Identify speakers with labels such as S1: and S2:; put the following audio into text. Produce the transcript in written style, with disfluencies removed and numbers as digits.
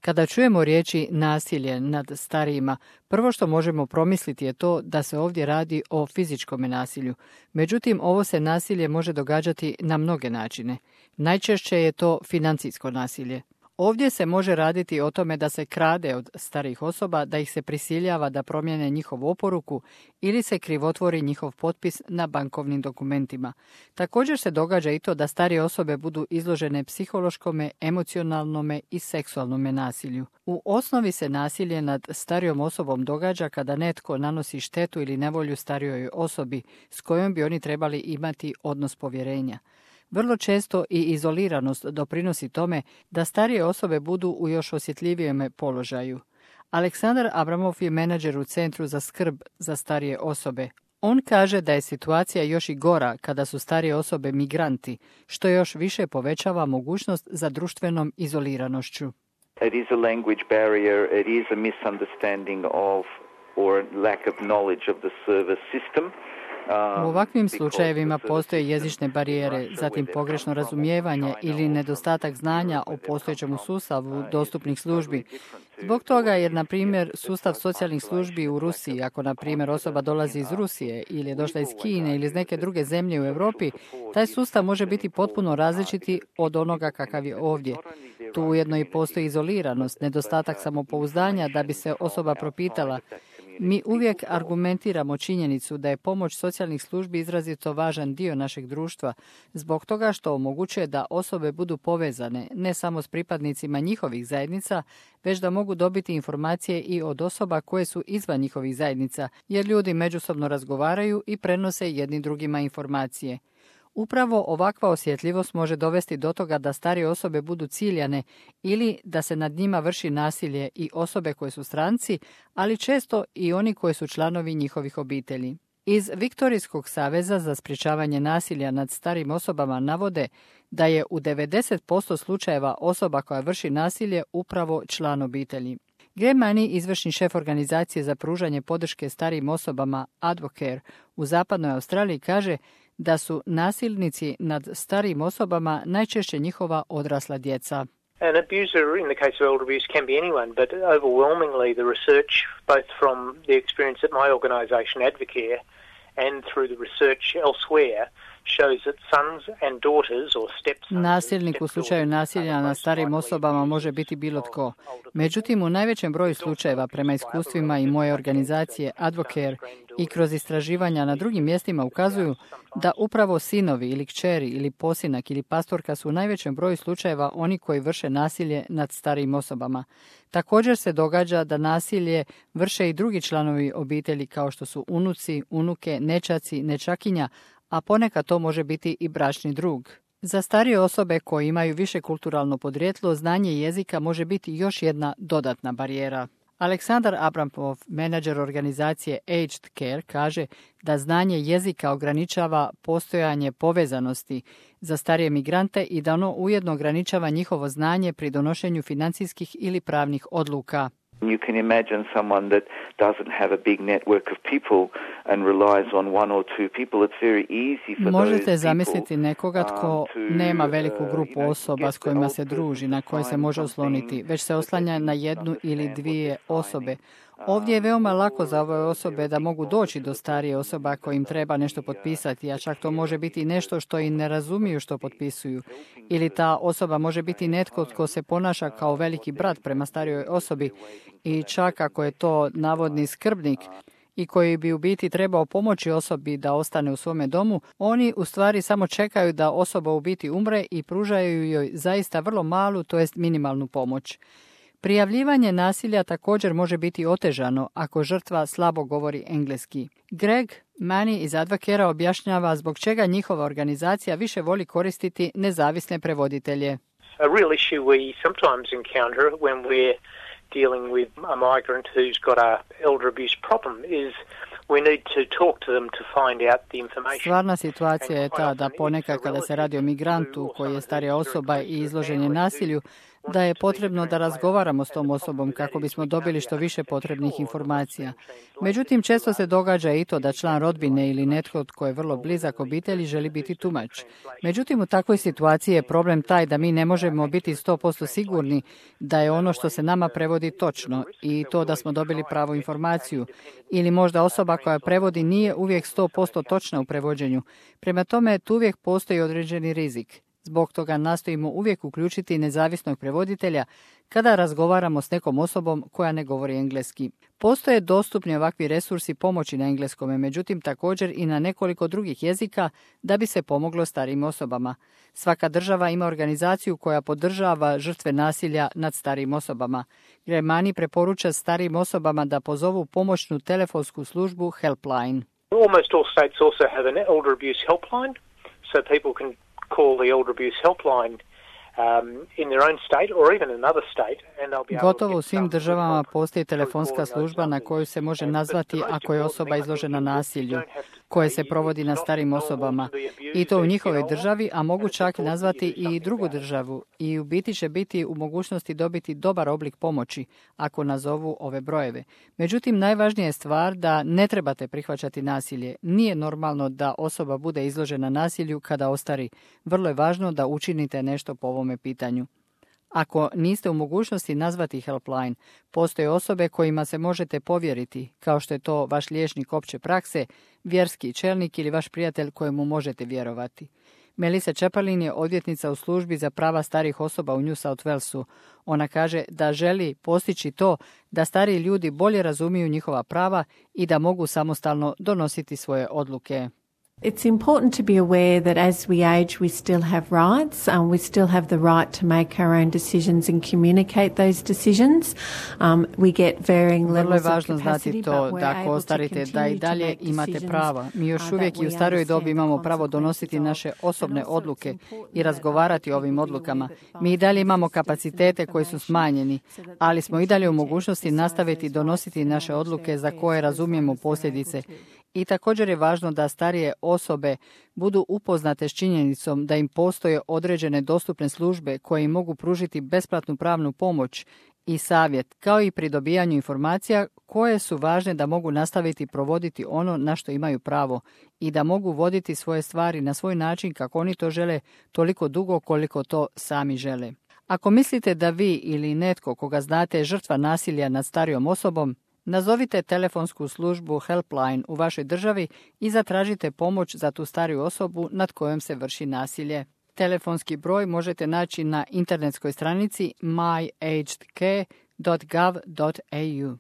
S1: Kada čujemo riječi nasilje nad starijima, prvo što možemo promisliti je to da se ovdje radi o fizičkom nasilju. Međutim, ovo se nasilje može događati na mnoge načine. Najčešće je to financijsko nasilje. Ovdje se može raditi o tome da se krade od starijih osoba, da ih se prisiljava da promijene njihovu oporuku ili se krivotvori njihov potpis na bankovnim dokumentima. Također se događa i to da starije osobe budu izložene psihološkome, emocionalnome i seksualnome nasilju. U osnovi se nasilje nad starijom osobom događa kada netko nanosi štetu ili nevolju starijoj osobi s kojom bi oni trebali imati odnos povjerenja. Vrlo često i izoliranost doprinosi tome da starije osobe budu u još osjetljivijem položaju. Aleksandar Abramov je menadžer u Centru za skrb za starije osobe. On kaže da je situacija još i gora kada su starije osobe migranti, što još više povećava mogućnost za društvenom izoliranošću.
S2: It is a language barrier, it is a misunderstanding of or lack of knowledge of the service system.
S1: U ovakvim slučajevima postoje jezične barijere, zatim pogrešno razumijevanje ili nedostatak znanja o postojećem sustavu dostupnih službi. Zbog toga jer, na primjer, sustav socijalnih službi u Rusiji, ako, na primjer, osoba dolazi iz Rusije ili je došla iz Kine ili iz neke druge zemlje u Europi, taj sustav može biti potpuno različiti od onoga kakav je ovdje. Tu ujedno i postoji izoliranost, nedostatak samopouzdanja da bi se osoba propitala. Mi uvijek argumentiramo činjenicu da je pomoć socijalnih službi izrazito važan dio našeg društva, zbog toga što omogućuje da osobe budu povezane ne samo s pripadnicima njihovih zajednica, već da mogu dobiti informacije i od osoba koje su izvan njihovih zajednica, jer ljudi međusobno razgovaraju i prenose jedni drugima informacije. Upravo ovakva osjetljivost može dovesti do toga da starije osobe budu ciljane ili da se nad njima vrši nasilje i osobe koje su stranci, ali često i oni koji su članovi njihovih obitelji. Iz Viktorijskog saveza za sprječavanje nasilja nad starijim osobama navode da je u 90% slučajeva osoba koja vrši nasilje upravo član obitelji. Greg Money, izvršni šef organizacije za pružanje podrške starijim osobama Advocare u zapadnoj Australiji, kaže da su nasilnici nad starijim osobama najčešće njihova odrasla djeca.
S3: An abuser in the case of elder abuse can be anyone, but overwhelmingly the research, both from the experience at my organisation Advocare and through the research elsewhere, shows that sons and daughters or stepsons.
S1: Nasilnik u slučaju nasilja nad starijim osobama može biti bilo tko. Međutim, u najvećem broju slučajeva, prema iskustvima i moje organizacije Advocare i kroz istraživanja na drugim mjestima, ukazuju da upravo sinovi ili kćeri ili posinak ili pastorka su u najvećem broju slučajeva oni koji vrše nasilje nad starijim osobama. Također se događa da nasilje vrše i drugi članovi obitelji kao što su unuci, unuke, nećaci, nečakinja, a ponekad to može biti i bračni drug. Za starije osobe koje imaju više kulturalno podrijetlo, znanje jezika može biti još jedna dodatna barijera. Aleksandar Abramov, menadžer organizacije Aged Care, kaže da znanje jezika ograničava postojanje povezanosti za starije migrante i da ono ujedno ograničava njihovo znanje pri donošenju financijskih ili pravnih odluka.
S2: You can imagine someone that doesn't have a big network of people and relies on one or two people. It's very easy for
S1: Možete zamisliti nekoga tko nema veliku grupu osoba s kojima se druži, na koje se može osloniti, već se oslanja na jednu ili dvije osobe. Ovdje je veoma lako za ove osobe da mogu doći do starije osoba kojim treba nešto potpisati, a čak to može biti nešto što i ne razumiju što potpisuju. Ili ta osoba može biti netko tko se ponaša kao veliki brat prema starijoj osobi i čak ako je to navodni skrbnik i koji bi u biti trebao pomoći osobi da ostane u svome domu, oni u stvari samo čekaju da osoba u biti umre i pružaju joj zaista vrlo malu, to jest minimalnu pomoć. Prijavljivanje nasilja također može biti otežano ako žrtva slabo govori engleski. Greg Money iz Advocare objašnjava zbog čega njihova organizacija više voli koristiti nezavisne prevoditelje.
S3: A real issue we sometimes encounter when we're dealing with a migrant who's got a elder abuse problem is we need to talk to them to find out the information.
S1: Stvarna situacija je ta da ponekad kada se radi o migrantu koji je starija osoba i izložen je nasilju, da je potrebno da razgovaramo s tom osobom kako bismo dobili što više potrebnih informacija. Međutim, često se događa i to da član rodbine ili netko tko je vrlo blizak obitelji želi biti tumač. Međutim, u takvoj situaciji je problem taj da mi ne možemo biti 100% sigurni da je ono što se nama prevodi točno i to da smo dobili pravu informaciju. Ili možda osoba koja prevodi nije uvijek 100% točna u prevođenju. Prema tome, tu uvijek postoji određeni rizik. Zbog toga nastojimo uvijek uključiti nezavisnog prevoditelja kada razgovaramo s nekom osobom koja ne govori engleski. Postoje dostupni ovakvi resursi pomoći na engleskome, međutim također i na nekoliko drugih jezika da bi se pomoglo starijim osobama. Svaka država ima organizaciju koja podržava žrtve nasilja nad starijim osobama. Gramani preporuča starijim osobama da pozovu pomoćnu telefonsku službu Helpline.
S3: Almost all states also have an elder abuse helpline, so people can call the elder abuse helpline in their own state or even another state, and they'll be able
S1: Gotovo u svim državama postoji telefonska služba na koju se može nazvati ako je osoba izložena nasilju, koje se provodi na starim osobama. I to u njihovoj državi, a mogu čak nazvati i drugu državu. I u biti će biti u mogućnosti dobiti dobar oblik pomoći ako nazovu ove brojeve. Međutim, najvažnija je stvar da ne trebate prihvaćati nasilje. Nije normalno da osoba bude izložena nasilju kada ostari. Vrlo je važno da učinite nešto po ovome pitanju. Ako niste u mogućnosti nazvati Helpline, postoje osobe kojima se možete povjeriti, kao što je to vaš liječnik opće prakse, vjerski čelnik ili vaš prijatelj kojemu možete vjerovati. Melissa Chaplin je odvjetnica u službi za prava starih osoba u New South Walesu. Ona kaže da želi postići to da stariji ljudi bolje razumiju njihova prava i da mogu samostalno donositi svoje odluke.
S4: It's important to be aware that as we age, we still have rights. We still have the right to make our own decisions and communicate those decisions. We get varying levels of capacity, but we're able to continue to make
S1: znati to da ako ostarite da i dalje imate prava. Mi još uvijek i u starijoj dobi imamo pravo donositi naše osobne odluke i razgovarati o ovim odlukama. Mi i dalje imamo kapacitete koji su smanjeni, ali smo i dalje u mogućnosti nastaviti donositi naše odluke za koje razumijemo posljedice. I također je važno da starije osobe budu upoznate s činjenicom da im postoje određene dostupne službe koje im mogu pružiti besplatnu pravnu pomoć i savjet, kao i pri dobijanju informacija koje su važne da mogu nastaviti provoditi ono na što imaju pravo i da mogu voditi svoje stvari na svoj način kako oni to žele toliko dugo koliko to sami žele. Ako mislite da vi ili netko koga znate je žrtva nasilja nad starijom osobom, nazovite telefonsku službu Helpline u vašoj državi i zatražite pomoć za tu stariju osobu nad kojom se vrši nasilje. Telefonski broj možete naći na internetskoj stranici myagedcare.gov.au.